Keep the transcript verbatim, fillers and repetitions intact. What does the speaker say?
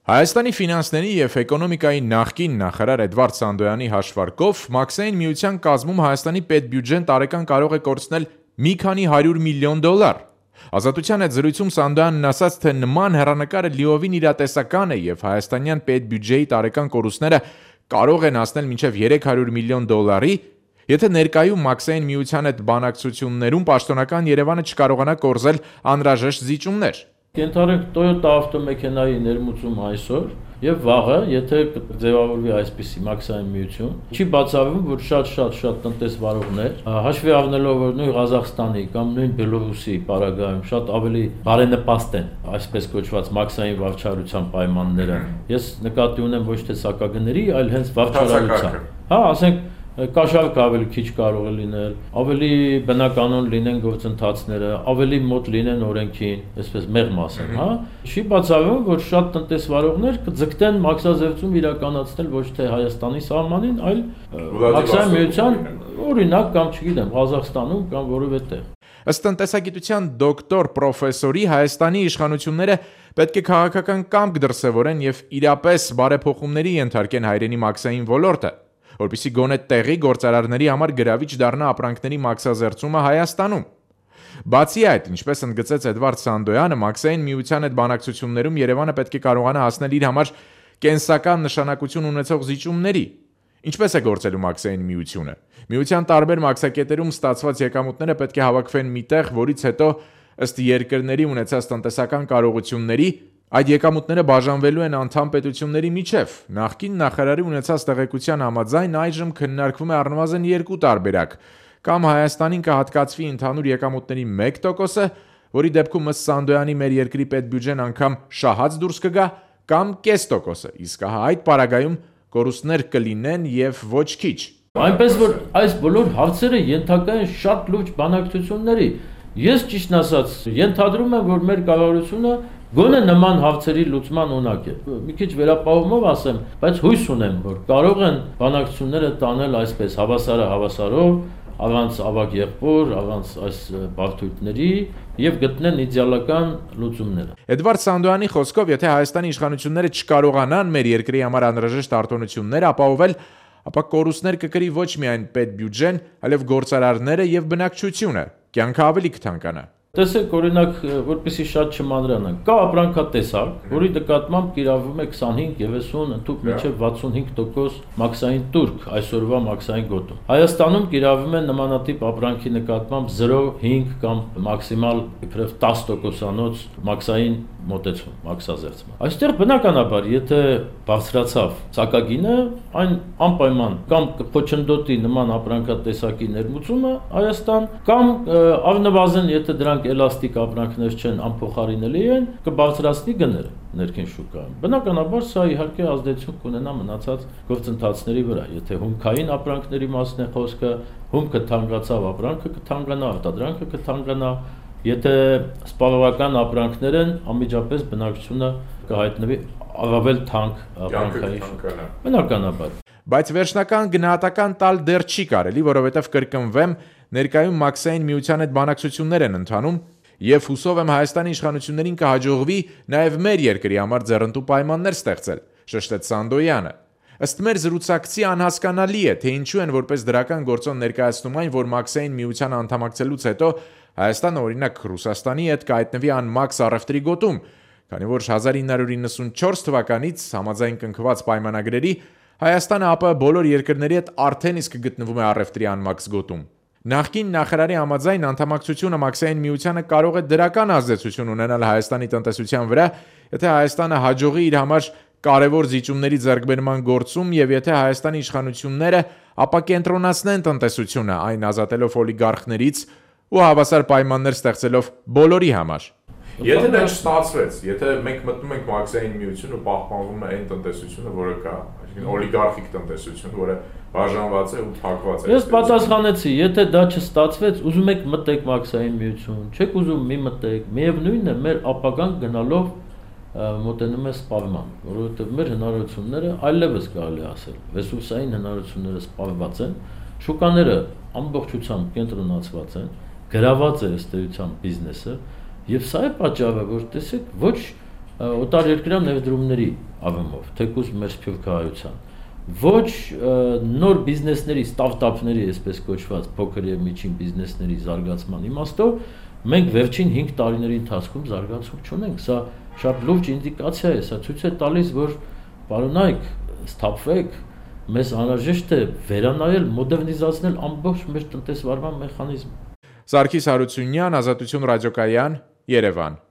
Հայաստանի ֆինանսների և էկոնոմիկայի նախկին նախարար Էդվարդ Սանդոյանի հաշվարկով Մաքսային միության կազմում Հայաստանի պետբյուջեն տարեկան կարող է կորցնել մի քանի հարյուր միլիոն դոլար։ Ազատության հետ զրույցում Սանդոյանն ասաց, թե նման հեռանկարը լիովին իրատեսական է և հայաստանյան պետբյուջեի տարեկան կորուստները կարող են հասնել մինչև երեք հարյուր միլիոն դոլարի, եթե ներկայում Մաքսային միության հետ բանակցություններում պաշտոնական Երևանը չկարողանա կորզել անհրաժեշտ զիջումներ։ Կենթարենք Toyota ավտոմեքենայի ներմուծում այսօր եւ վաղը, եթե ձևավորվի այսպիսի Մաքսային միություն, չի բացառվում, որ շատ-շատ-շատ տնտեսվարողներ, հաշվի առնելով, որ նույն Ղազախստանի կամ նույն Բելորուսի պարագայում շատ ավելի բարենպաստ են այսպես կոչված Մաքսային վարչարության պայմանները։ Ես նկատի ունեմ ոչ թե սակագների, այլ հենց վարչարության։ Հա, ասենք Կաշառք ավելի քիչ կարող է լինել, ավելի բնականon լինեն գործընթացները, ավելի մոտ լինեն օրենքին, այսպես մեղմ ասեմ, հա։ Չի բացառվում, որ շատ տնտեսվարողներ կձգտեն մաքսազերծում իրականացնել ոչ թե Հայաստանի սահմանին, այլ Մաքսային միության օրինակ կամ չգիտեմ, Ղազախստանում կամ որևէ տեղ։ Ըստ տնտեսագիտության դոկտոր պրոֆեսորի Հայաստանի իշխանությունները պետք է քաղաքական կամք դրսևորեն եւ իրապես բարեփոխումների ենթարկեն հայրենի մաքսային ոլորտը, որպեսզի գոնե տեղի գործարարների համար գրավիչ դառնա ապրանքների մաքսազերծումը Հայաստանում։ Բացի այդ, ինչպես ընդգծեց Էդվարդ Սանդոյանը, Մաքսային միության հետ բանակցություններում Երևանը պետք է կարողանա հասնել իր համար կենսական նշանակություն ունեցող զիջումների։ Ինչպես է գործելու Մաքսային միությունը։ Միության տարբեր մաքսակետերում ստացված եկամուտները պետք է հավաքվեն միտեղ, որից հետո ըստ երկրների ունեցած տնտեսական կարողությունների այդ եկամուտները բաժանվելու են անդամ պետությունների միջև։ Նախկին նախարարի ունեցած տեղեկության համաձայն այժմ քննարկվում է առնվազն երկու տարբերակ։ Կամ Հայաստանին կհատկացվի ընդհանուր եկամուտների մեկ տոկոսը, որի դեպքում ըստ Սանդոյանի մեր երկրի պետբյուջեն անգամ շահած դուրս կգա, կամ կես տոկոսը, իսկ հա այդ պարագայում կորուստներ կլինեն եւ ոչ քիչ։ Այնպես որ այս բոլոր հարցերը ենթակա են շատ լուրջ բանակցությունների։ Ես ճիշտն ասած ենթադրում եմ, որ մեր կառավարությունը գոնե նման հարցերի լուծման ունակ է։ Մի քիչ վերապահումով ասեմ, բայց հույս ունեմ, որ կարող են բանակցությունները տանել այսպես հավասարը հավասարով, առանց ավագ եղբոր, առանց այս բարդությունների եւ գտնեն իդեալական լուծումները։ Էդվարդ Սանդոյանի խոսքով, եթե Հայաստանի իշխանությունները չկարողանան մեր երկրի համար անհրաժեշտ արտոնություններ ապահովել, ապա կորուստներ կկրի ոչ միայն պետբյուջեն, այլև գործարարները եւ բնակչությունը։ Կյանքը ավելի կթանկանա։ Տեսեք, օրինակ, որպեսզի շատ չմանրանանք, կա ապրանքատեսակ, որի նկատմամբ կիրառվում է քսանհինգ երեսուն ընդհուպ մինչև վաթսունհինգ տոկոս մաքսային տուրք այսօրվա մաքսային գոտում։ Հայաստանում կիրառվում է նմանատիպ ապրանքի նկատմամբ զրո փոխ հինգ կամ մաքսիմալ իբրև տասը տոկոսանոց մաքսային մոտեցում, մաքսազերծում։ Այստեղ բնականաբար, եթե բարձրացավ սակագինը, այն անպայման կամ կփոչնդոտի նման ապրանքատեսակի ներմուծումը Հայաստան, կամ առնվազն եթե դրանք էլաստիկ ապրանքներ չեն, անփոխարինելի են, կբարձրացնի գները ներքին շուկայում։ Բնականաբար սա իհարկե ազդեցություն կունենա մնացած գործընթացների վրա։ Եթե հումքային ապրանքների մասն է խոսքը, հումքը թանկացավ, ապրանքը կթանկանա, արտադրանքը կթանկանա։ Եթե սպառողական ապրանքներ են, անմիջապես բնակչությունը կհայտնվի առավել թանկ ապրանքային շուկայում։ Բնականաբար։ Բայց վերջնական գնահատական տալ դեռ չի կարելի, որովհետև կրկնվեմ, ներկայում Մաքսային միության հետ բանակցություններ են ընթանում եւ հուսով եմ Հայաստանի իշխանություններին կհաջողվի նաեւ մեր երկրի համար ձեռնտու պայմաններ ստեղծել, շեշտեց Սանդոյանը։ Ըստ մեր զրուցակցի անհասկանալի է, թե ինչու են որպես դրական գործոն ներկայացնում այն, որ Մաքսային միության անդամակցելուց հետո Հայաստանը օրինակ Ռուսաստանի հետ կհայտնվի անմաքս առևտրի գոտում, քանի որ հազար ինը հարյուր իննսունչորս թվականից համաձայն կնքված պայմանագրերի Հայաստանը ԱՊՀ բոլոր երկրների հետ արդեն իսկ գտնվում է առևտրի անմաքս գոտում։ Նախկին նախարարի համաձայն անդամակցությունը Մաքսային միությանը կարող է դրական ազդեցություն ունենալ Հայաստանի տնտեսության վրա, եթե Հայաստանը հաջողի իր համար կարևոր զիջումների ձեռքբերման գործում եւ եթե Հայաստանի իշխանությունները ապակենտրոնացնեն տնտեսությունը, այն ազատելով օլիգարխներից ու հավասար պայմաններ ստեղծելով բոլորի համար։ Եթե դա չստացվեց, եթե մենք մտնում ենք Մաքսային միություն ու պահպանվում է այն տնտեսությունը, որը կա, այսինքն օլիգարխիկ տնտեսություն, որը բաժանված է ու փակված է։ Ես պատասխանեցի, եթե դա չստացվեց, ուզում եք մտեք Մաքսային միություն, չեք ուզում մի մտեք, միևնույնն է, մեր ապագան գնալով մոտենում է սպառման, որովհետև մեր հնարավորությունները այլևս կարելի ասել, ռեսուրսային հնարավորությունները սպառված են, շուկաները ամբողջությամբ կենտրոնացված են, գրաված է ըստ էության բիզնեսը, եւ սա է պատճառը, որ տեսեք, ոչ օտար երկրյա ներդրումների ավեմով, թեկուզ մեր սփյուռքահայության, ոչ նոր բիզնեսների, ստարտափների, այսպես կոչված փոքր եւ միջին բիզնեսների զարգացման իմաստով մենք վերջին հինգ տարիների ընթացքում զարգացում չունենք։ Սա շատ լուրջ ինդիկացիա է, սա ցույց է տալիս, որ պարոնայք, սթափվեք, մեզ անհրաժեշտ է վերանայել, մոդեռնիզացնել ամբողջ մեր տնտեսվարման մեխանիզմը։ Սարգիս Հարությունյան, Ազատություն ռադիոկայան, Երևան։